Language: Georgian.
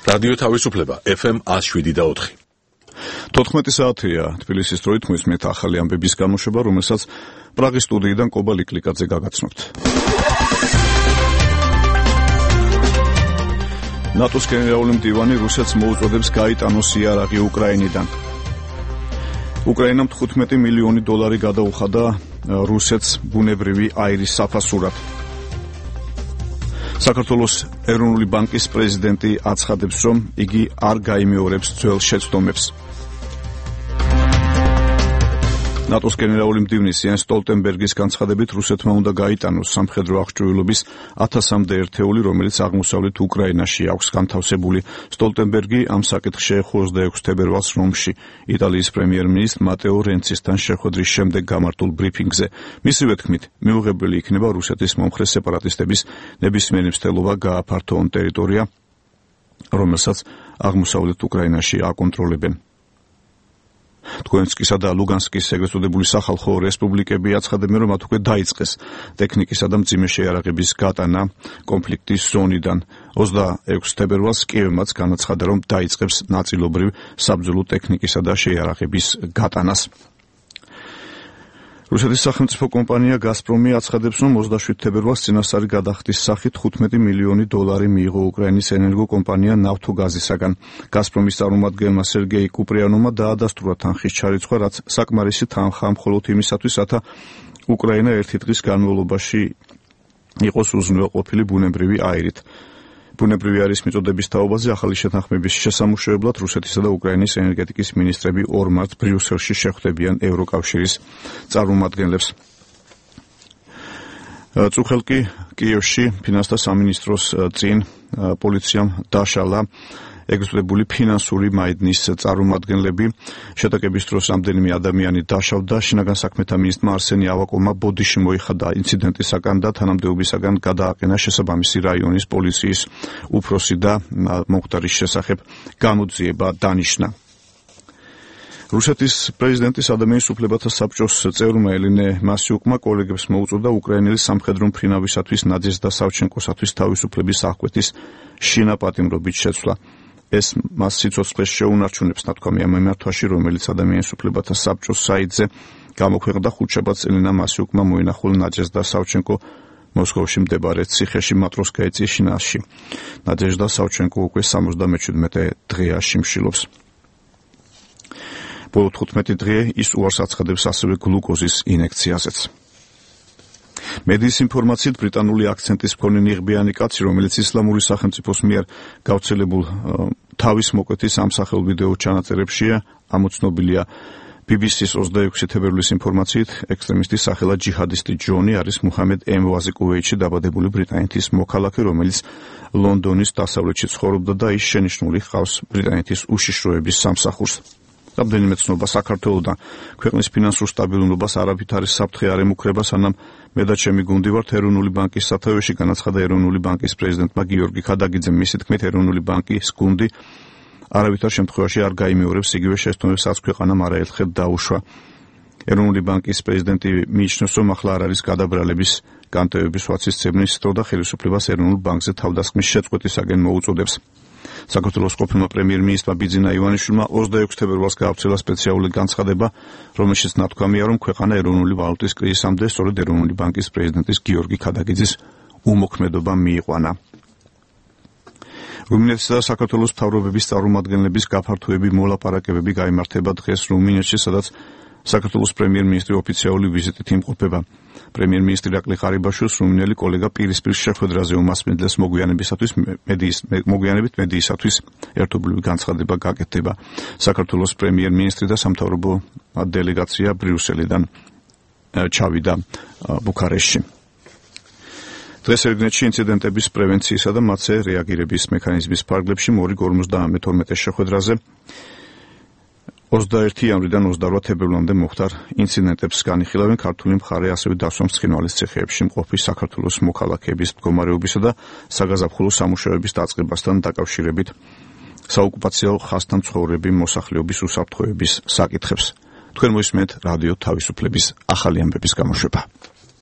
რადიო თავისუფლება FM 107.4. 14 საათია თბილისის დროით მოისმენთ ახალი ამბების გამოშვება, რომელსაც პრაღის სტუდიიდან კობა ლიკლიკაძე გაგაცნობთ. ნატოს გენერალური მდივანი რუსეთს მოუწოდებს გაიტანოს იარაღი უკრაინიდან. უკრაინამ $15 მილიონი გადაუხადა რუსეთს ბუნებრივი აირის საფასურად. საქართველოს ეროვნული ბანკის პრეზიდენტი აცხადებს, რომ იგი არ გაიმეორებს ძველ შეცდომებს. ნატოს გენერალური მდივნის იენს სტოლტენბერგის განცხადებით, რუსეთმა უნდა გაიტანოს სამხედრო აღჭურვილობის 1000-მდე ერთეული, რომელიც აღმოსავლეთ უკრაინაში აქვს განთავსებული. სტოლტენბერგი ამ საკითხში 26 თებერვალს რომში იტალიის პრემიერ-მინისტრ მატეო რენცისთან შეხვედრის შემდეგ გამართულ ბრიფინგზე. მისივე თქმით, მიუღებელი იქნება რუსეთის მომხრე სეპარატისტების ნებისმიერი მცდელობა გააფართოონ ტერიტორია, რომელსაც აღმოსავლეთ უკრაინაში აკონტროლებენ. დონეცკისა და ლუგანსკის ეგრეთ წოდებული სახალხო რესპუბლიკები აცხადებენ, რომ მათ უკვე დაიწყეს ტექნიკისა და მძიმე შეიარაღების გატანა კონფლიქტის ზონიდან. 26 თებერვალს კიევმაც განაცხადა, რომ დაიწყებს ნაწილობრივ საბრძოლო ტექნიკისა და შეიარაღების გატანას. რუსეთის სახელმწიფო კომპანია გაზპრომი აცხადებს, რომ 27 თებერვალს წინასწარი გადახდის სახით $15 მილიონი მიიღო უკრაინის ენერგოკომპანია ნავთოგაზისაგან. გაზპრომის წარმომადგენელმა სერგეი კუპრიანოვმა დაადასტურა თანხის ჩარიცხვა, რაც საკმარისი თანხაა მხოლოდ იმისათვის, რათა უკრაინა ერთი დღის განმავლობაში იყოს უზრუნველყოფილი ბუნებრივი აირით. ბუნებრივი აირის მიწოდების თაობაზე ახალი შეთანხმების შესამუშავებლად რუსეთისა და უკრაინის ენერგეტიკის მინისტრები 2 მარტს ბრიუსელში შეხვდებიან ევროკავშირის წარმომადგენლებს. წუხელკი კიევში ფინანსთა სამინისტროს წინ პოლიციამ დაშალა ეგრეთწოდებული ფინანსური მაიდნის წარმომადგენლები. შეტაკების დროს რამდენიმე ადამიანი დაშავდა. შინაგან საქმეთა მინისტრმა არსენი ავაკოვმა ბოდიში მოიხადა ინციდენტისაგან და თანამდებობისაგან გადააყენა შესაბამისი რაიონის პოლიციის უფროსი და მომხდარის შესახებ გამოძიება დანიშნა. რუსეთის პრეზიდენტის ადამიანის უფლებათა საბჭოს წევრმა ელენე მასიუკმა კოლეგებს მოუწოდა უკრაინელი სამხედრო მფრინავისათვის ნადეჟდა სავჩენკოსათვის თავისუფლების აღკვეთის შინაპატიმრობით შეცვლა. ეს მას სიცოცხლეს შეუნარჩუნებს ნათქვამი ამ მიმართვაში, რომელიც ადამიანის უფლებათა საბჭოს საიტზე გამოქვეყნდა. ხუთშაბათს ელენა მასიუკმა მოინახულა ნადეჟდა სავჩენკო მოსკოვში მდებარე ციხეში მატროსკაიის შინაარსში. ნადეჟდა სავჩენკო უკვე 77 დღეა შიმშილობს. ბოლო 15 დღე ის უარს აცხადებს ასევე გლუკოზის ინექციაზეც. მედიის ინფორმაციით ბრიტანული აქცენტის მქონე ნიღბიანი კაცი, რომელიც ისლამური სახელმწიფოს მიერ გავრცელებულ თავის მოკვეთის ამსახელ ვიდეო ჩანაწერებშია, ამოცნობილია. BBC-ს 26 თებერვლის ინფორმაციით, ექსტრემისტის სახელად ჯიჰადისტი ჯონი არის მუჰამედ ემვაზი კუვეითში დაბადებული ბრიტანეთის მოქალაქე, რომელიც ლონდონის დასავლეთში ცხოვრობდა და ის შენიშვნული ჰყავს ბრიტანეთის უშიშროების სამსახურს. რამდენიმე ცნობა საქართველოდან ქვეყნის ფინანსურ სტაბილურობას არავით არის საფრთხე არ ემუქრება, სანამ მე და ჩემი გუნდი ვართ ეროვნული ბანკის სათავეში, განაცხადა ეროვნული ბანკის პრეზიდენტმა გიორგი ქადაგიძემ. მისი თქმით, ეროვნული ბანკის გუნდი არავითარ შემთხვევაში არ გაიმეორებს იგივე შეცდომებს, რაც ქვეყანამ არაერთხელ დაუშვა. ეროვნული ბანკის პრეზიდენტი მიიჩნევს, რომ ახლა არ არის გადაბრალების განტევების ვაცისწებნის დრო და ხელისუფლებას ეროვნულ ბანკზე თავდასხმის შეწყვეტისაგან მოუწოდებს. საქართველოს ყოფილმა პრემიერ-მინისტრმა ბიძინა ივანიშვილმა 26 თებერვალს გაავრცელა სპეციალური განცხადება, რომელშიც ნათქვამია, რომ ქვეყანა ეროვნული ვალუტის კრიზისამდე სწორედ ეროვნული ბანკის პრეზიდენტის გიორგი ქადაგიძის უმოქმედობა მიიყვანა. რუმინეთსა და საქართველოს მთავრობების წარმომადგენლების გაფართოები მოლაპარაკებები გაიმართება დღეს რუმინეთში, სადაც საქართველოს პრემიერ-მინისტრი ოფიციალური ვიზიტით იმყოფება. პრემიერ-მინისტრი ირაკლი ყარიბაშვილს რუმინელი კოლეგა პირისპირ შეხვედრაზე უმასპინძლეს მოგვიანებით მედიისათვის ერთობლივი განცხადება გაკეთდება. საქართველოს პრემიერ-მინისტრი და სამთავრობო დელეგაცია ბრიუსელიდან ჩავიდა ბუქარესტში. დღეს ერგნეთში ინციდენტების პრევენციისა და მათზე რეაგირების მექანიზმის ფარგლებში მორიგ 52 შეხვედრაზე 21 იანვრიდან 28 თებერვლამდე მოხდარ ინციდენტებს განიხილავენ ქართული მხარე, ასევე დასვამს ცხინვალის ციხეებში მყოფი საქართველოს მოქალაქეების მდგომარეობისა და საგაზაფხულო სამუშაოების დაწყებასთან დაკავშირებით საოკუპაციო ხაზთან მცხოვრები მოსახლეობის უსაფრთხოების საკითხებს. თქვენ მოისმენთ რადიო თავისუფლების ახალი ამბების გამოშვება.